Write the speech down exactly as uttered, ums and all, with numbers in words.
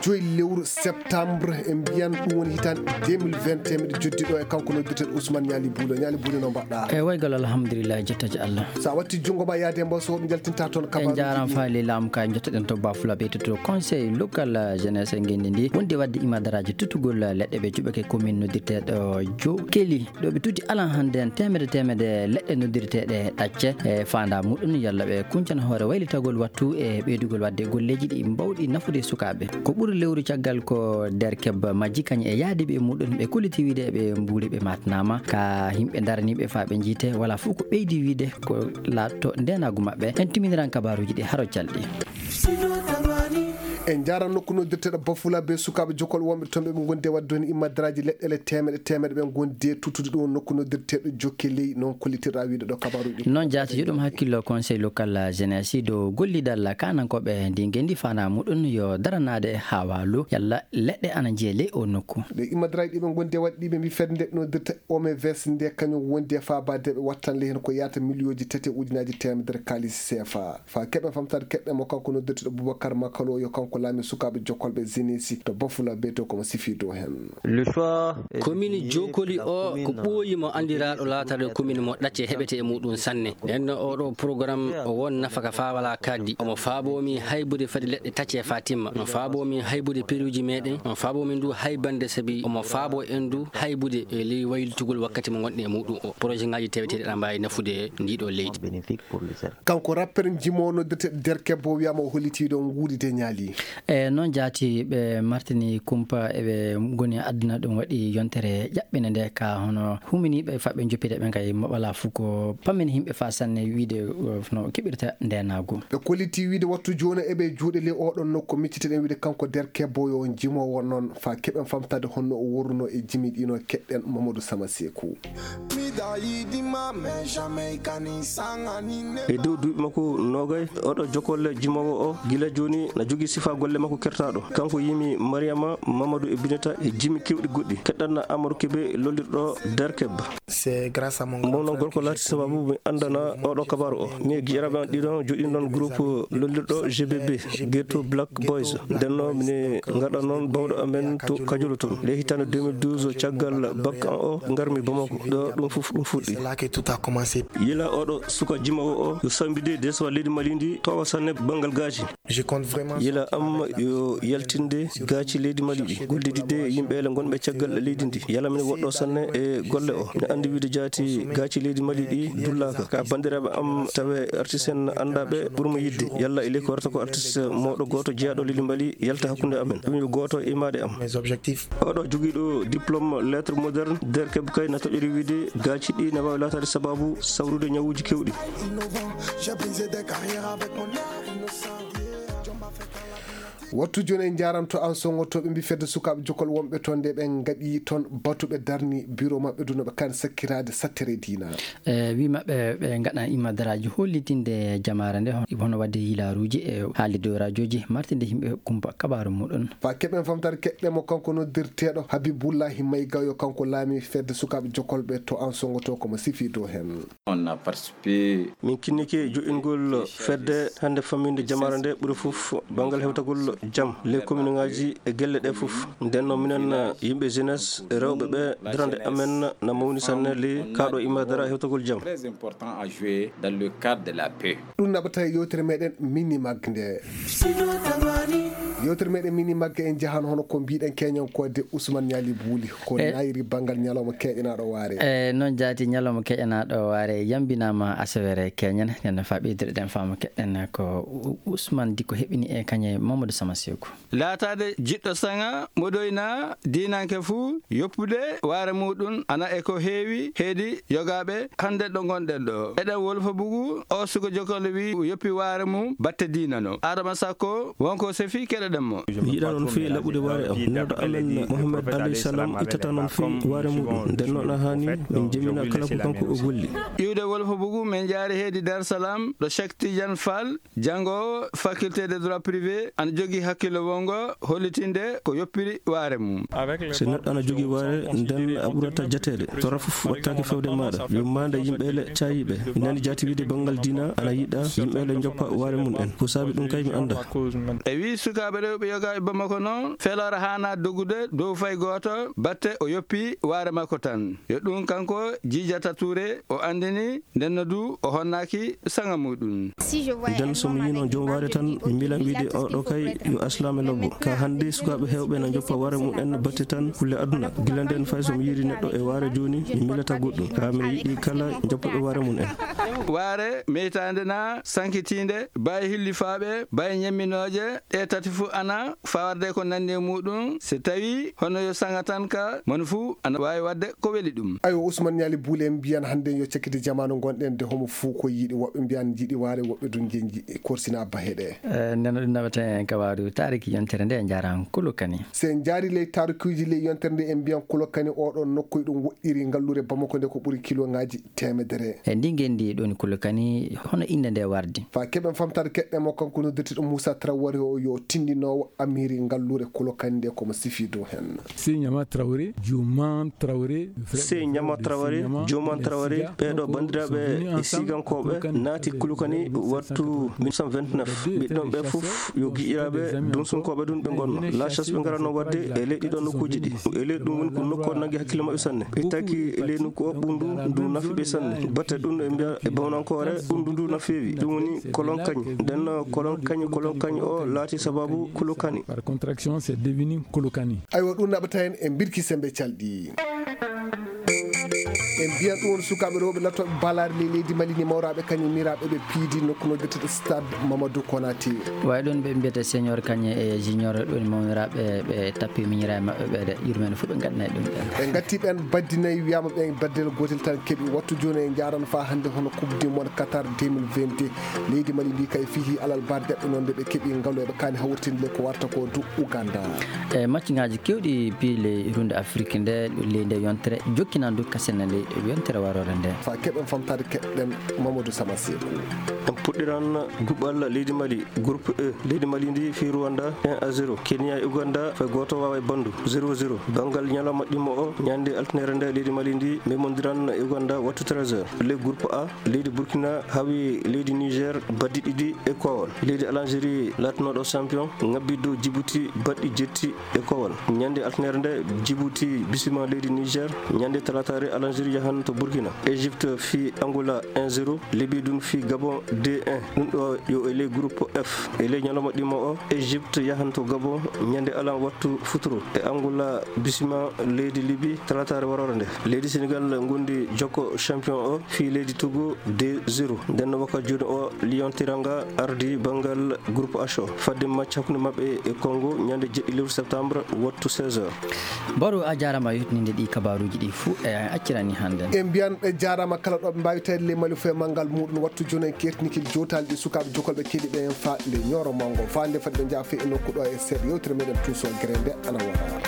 Joyi lewru septembre, en mbiyan ɗum woni hitaande deux mille vingt et un, miɗo joddi ɗo e kanko noddirteeɗo Ousmane Ñaali Buulo. Ñaali Buulo, no mbaɗɗa? E waygal, alhamdulillah, jettaaji Allah. So a watti junngo ma yaade mbo, so hoɗum njaltinta toon? En kabaaruuji njaaraama ɗi. Faali laamu ka jottoɗen to Bafula ɓeytoto conseil local, eh, jeunesse e ngenndi ndi. Wonde waɗde imadaraaji tutugol, eh, leɗɗe ɓe juɓɓake commune noddirteeɗo Jokeli. Ɗo ɓe tuti alan hannde en teemedde teemedde leɗɗe noddirteeɗe ɗacce e faanda muɗum yalla ɓe kuncana hoore waylitagol wattu e ɓeydugol waɗde golleeji ɗi mbawɗi nafude sukaaɓe. Ko ɓuri lewru caggal ko Derkeb majji kañum e yaadiiɓe e muɗum ɓe kolliti wiide ɓe mbuuri ɓe maatanaama ka yimɓe daraniiɓe faa ɓe njiite wala fof ko ɓeydi wiide ko laatto ndeenaagu maɓɓe. En timiniran kabaaruuji ɗi haro calɗi. En njaaran nokku noddirteeɗo Bafula be sukaaɓe jokol wonɓe toon ɓe ɓe ngondi e waɗde heen immadaraaji leɗɗele teemeɗe teemeɗe ɓe ngondi e tuttude ɗum nokku noddirteeɗo Jokke Ley noon kollitirɗa wiide ɗo kabaaruuji. Noon jaati yo ɗum hakkillo conseil local jeunesse dow gollidal kaanankooɓe ndi ngenndi faanaa muɗum yo daranaade haa waalu yalla leɗɗe ana njiye ley o nokku. Ɗe immadaraaji ɗi ɓe ngondi e waɗde ɗi ɓe mbi fedde noddirte O M V S nde kañum wondi e faabaade ɓe wattande heen ko yaata miliyooji tati e ujunaaji teemedere kaalis C F A. Fa keɓen famtaade keɗɗe mo kanko noddirteeɗo Boubacar Makalo yo kanko laami sukaaɓe jokkolɓe Zenesi to Bafula Beto komo sifi dow heen. Le choix est Commune désigné Jokoli pour la o commune ko ɓooyi mo anndiraaɗo laataade commune mo ɗacce heɓete e muɗum sanne. Nden oɗo programme o won nafaka faa wala kaddi. Omo faaboo mi haybude fadi leɗɗe tacce faa timma. Omo faaboo mi haybude peruuji meɗen. Omo faaboo min du haybande sabi omo faaboo en du haybude e ley waylitugol wakkati mo ngonɗen e muɗum o. Projet ngaji teweteeɗi aɗa mbaawi nafude ndiɗo leydi. Kanko rapper jimo noddirteeɗo Derkebbo wiyaama o holliti ɗo nguuride ñaali. E noon jaati ɓe martini kumpa eɓe ngoni adduna ɗum waɗi yontere ƴaɓɓinde nde ka hono huminiiɓe faɓɓe joppite ɓe kay maɓala fof ko pammin yimɓe fa sanne wiide, uh, no keɓirta ndenaagu. Ɓe kolliti wiide wattu jooni eɓe juuɗe ley oɗon nokku micciteɗen wiide kanko Derkebbo yo jimoowo noon fa keɓen famtaade honno o worruno e jimi ɗino keɗɗen Mamadou Sama Seeku. E dow duuɓi makko noogay, oɗo jokolle jimoowo o gila jooni na jogii sifa golle makko kertaaɗo. Kanko yimi Mariama, Mamadou e Bineta e jimi kewɗi goɗɗi. Keɗɗanna Amadou Kebe lollirɗo Derkeb. Mon noon gorko laati sababu mi anndana oɗo kabaaru o. Mi e giƴiraaɓe an ɗiɗon joɗɗinɗon groupe lollirɗo G B B, Ghetto Black Boys. Ndenno mine ngaɗa noon bawɗo amen to Kajolo toon. Nde hitaande deux mille douze caggal bac an o ngarmi Bamako. Ɗo ɗum fof ɗum fuɗɗi. Yila oɗo suka jimoowo o yo sambide deesuwa leydi Mali ndi towa sanne banngal gaaci. Yila am yo yaltinde gaaci leydi Mali ɗi. Gollidide yimɓe ele ngonɓe caggal leydi ndi. Yala min woɗɗo sanne e golle o. Mi andi wiide jaati gaaci leydi Mali ɗi dullaka. Ka banndiraaɓe am tawe artiste en anndaɓe ɓurmo yidde. Yalla e ley ko warata ko artiste mawɗo gooto jeyaɗo leydi Mali yalta hakkunde amen. Ɗum yo gooto e maɗe am. Oɗo jogiiɗo diplôme lettres modernes, Derkeb kay na toƴori wiide gaaci ɗi na waawi laataade sababu sawrude ñawuuji kewɗi. Wattu jooni en njaaranto an sonngoto ɓe mbi fedde sukaaɓe jokol wonɓe toon nde ɓe ngaɗi toon batu ɓe darni bureau maɓɓe du no ɓe kan sakkiraade sattere diina. E wi maɓɓe ɓe ngaɗan immadaraaji hollitinde jamaare nde hon-, hono waɗde yilaaruuji e haalde dow rajooji martinde yimɓe kumpa kabaaru muɗum. Fa keɓen famtaade keɗɗe mo kanko noddirteeɗo Habibullahi Maygayo kanko laami fedde sukaaɓe jokolɓe to an sonngoto komo sifi dow heen. On a participé. Min kinnike joɗɗingol fedde hannde famminde jamaare nde ɓuri fof banngal hewtagol jam ley commune ngaji e gelle ɗe fof. Nden noon minen yimɓe jeunesse rewɓe ɓe darande amen na mawni sanne ley kaɗo imadara hewtagol jam. Très important à jouer dans le cadre de la paix. Ɗum naɓata e yewtere meɗen Mini Mag nde. Yewtere meɗen Mini Mag en njahan hono ko mbiɗen keñan ko de Ousmane Ñaali Buuli ko e nayri banngal ñalawma keƴanaɗo waare. E noon jaati ñalawma keƴanaɗo waare yambinama asawere keñan nen faɓidirɗen fama keɗen ko U-, Ousmane Dikko heɓini e kañe Mamadou Sama Seeku. Laataade jiɗɗo saŋa, moɗoyna, diinanke fuu, yoppude waare muuɗum ana e ko heewi heedi yogaaɓe hannde ɗo ngonɗen ɗo. Eɗen wolfa bugu, o suka jokkole wi yoppi waare mum batte diina no. Adama Sakko, wonko sefi keɗoɗen mo. Mi yiɗa noon fii laɓude waare am. Neɗɗo amen Mohamed Alayhi Salam ittata noon fii waare muuɗum. Nden noon a haani min jemina kala ko kanko o golli. Iwde wolfa bugu, min jaari heedi Dar Salam, ɗo Cheikh Tidiane Fall, janngoowo faculté de droit privé, ana jogii Hakkillo wongo hollitinde ko yoppiri waare mum. So neɗɗo ana jogii waare, nden a ɓurata jateede. Torra fof wattaaki fewde maaɗa. Yummaande yimɓe le caayiiɓe. Mi nani jaati wiide banngal diina ana yiɗa yimɓe le njoppa waare mum en. Ko saabi ɗum kay mi annda. E wii sukaaɓe rewɓe yogaaɓe Bamako noon, feloore haanaa dogude dow fay gooto, batte o yoppi waare makko tan. Yo ɗum kanko jiijata Tuure o anndini, ndenno du o honnaaki saŋa muɗum. Nden so mi yiino joom waare tan, mi miilan wiide oɗo kay yo aslaame lobbo. Ka hannde sukaaɓe heewɓe na njoppa waare mum en batte tan kulle aduna. Gila nden fay so mi yiiri neɗɗo e waare jooni, mi miilata goɗɗum. Ka mi yiɗi kala njoppooɓe waare mum en. Waare meytaande na sankitiinde, baye hillifaaɓe, baye ñemminooje, ɗe tati fu ana fawarde ko nanndi e muɗum. So tawi hono yo saŋa tan ka, moni fu ana waawi waɗde ko weli ɗum. Ayo, Usman Ñaali Buule en mbiyan hannde yo cakkiti jamaanu ngonɗen de homo fuu ko yiɗi. Woɓɓe mbiyan jiɗi waare, woɓɓe dun njiɗi korsina baheɗe. Eh, nden ɗum naɓata en ka waaru taariki yontere nde, en njaaraan Kulukani. Se en njaari ley taarukuuji ley yontere nde, en mbiyan Kulukani oɗo nokku e ɗum woɗɗiri ngallure Bamako nde ko ɓuri kiloŋaaji teemedere. E ndi ngenndi ɗon Kulukani, hono innde nde wardi? Fa keɓen famtaade keɗɗe mo kanko noddirtiɗo Moussa Traoré o yo tindinoowo amiri ngallure Kulukani nde ko mo sifi dow hen. Sey Ɲama Traoré, Juman Traoré, Sey Ɲama Traoré, Juman Traoré, ɓeeɗo banndiraaɓe e sigankooɓe naati Kulukani wattu mille neuf cent vingt-neuf. Ɓiɗɗon ɓe fof yo giƴiraaɓe dunsunkooɓe ɗum ɓe ngonno. La chasse ɓe ngarano waɗde e ley ɗiɗo nokkuuji ɗi. E ley ɗum woni ko nokku o nangi hakkille maɓɓe sanne. Ɓe taki e ley nokku o ɓunndu ndu nafi ɓe sanne. Batte ɗum e mbiya e bawnankoore ɓunndu ndu na feewi. Ɗum woni kolonkañ. Nden kolonkañ, kolonkañ o laati sababu Kulukani. Par contraction, c'est devenu Kulukani. Aywa, ɗum naɓata en e mbirki sembe calɗi. En mbiyan ɗum woni sukaaɓe rewɓe lattooɓe balaare ley leydi Mali ni mawraaɓe kañum niraaɓe ɓe piidi nokku no wiyeteeɗo Stade Mamadou Konaté. Way ɗum ɓe mbiyata senior kañe e junior ɗum mawniraaɓe ɓe tappi miñiraaɓe maɓɓe ɓe de yurmeende fof ɓe ngaɗanay ɗum ɓen. Ɓe ngatti ɓen baddi nayi wiyama ɓen baddel gotel tan keɓi wattu jooni e njaran fa hannde hono Coupe du Monde Qatar deux mille vingt. Leydi Mali ndi kay fihi alal barde ɓe noon nde ɓe keɓi ngalu eɓe kaani hawritinde ko warta ko du Uganda. E match ŋaaji kewɗi piile runde Afrique nde ley nde yontere jokkinan du kasen ley yontere warore nde. Fa keɓen famtade keɗɗen Mamadou Sama Sekou. En puɗɗiran duɓal leydi Mali, groupe E, leydi Mali ndi fi Rwanda un à zéro. Kenya e Uganda fay gooto waaway bandu zéro zéro. Banngal ñalawma ɗimmo o, ñande altinere nde leydi Mali ndi memondiran e Uganda wattu treize heures. Ley groupe A, leydi Burkina hawi leydi Niger baddi ɗiɗi e kowal. Leydi Algérie laatnooɗo champion ŋabbi dow Djibouti baɗɗi jetti e kowal. Ñande altinere nde Djibouti bisima leydi Niger. Ñande talatare Algérie yahan to Burkina. Égypte fi Angola un zéro. Libye ɗum fi Gabon deux un. Ɗum ɗo yo e ley groupe F. E ley ñalawma ɗimmo o, Égypte yahan to Gabon ñande alan wattu futuro. E Angola bisima leydi Libye talatare warore nde. Leydi Sénégal ngondi jokko champion o fi leydi Togo deux zéro. Nden no waka jooni o, Lion Teranga ardi banngal groupe H o. Fadde match hakkunde maɓɓe e Congo ñande jeɗɗi lewru septembre wattu seize heures. Baro, a jaaraama yottininde ɗi kabaaruuji ɗi fuu, e accirani hannde. En mbiyan ɓe jaaraama kala ɗo ɓe mbaawi tawi le Mali fof e manngal muɗum. Wattu jooni en kertinikil jootaali ɗi sukaaɓe jokolɓe keɗi ɓe en fa le ñooro mango. Fa nde fadde njaafe e nokku ɗo e seeɗa yewtere meɗen tuuso gere nde ana wara.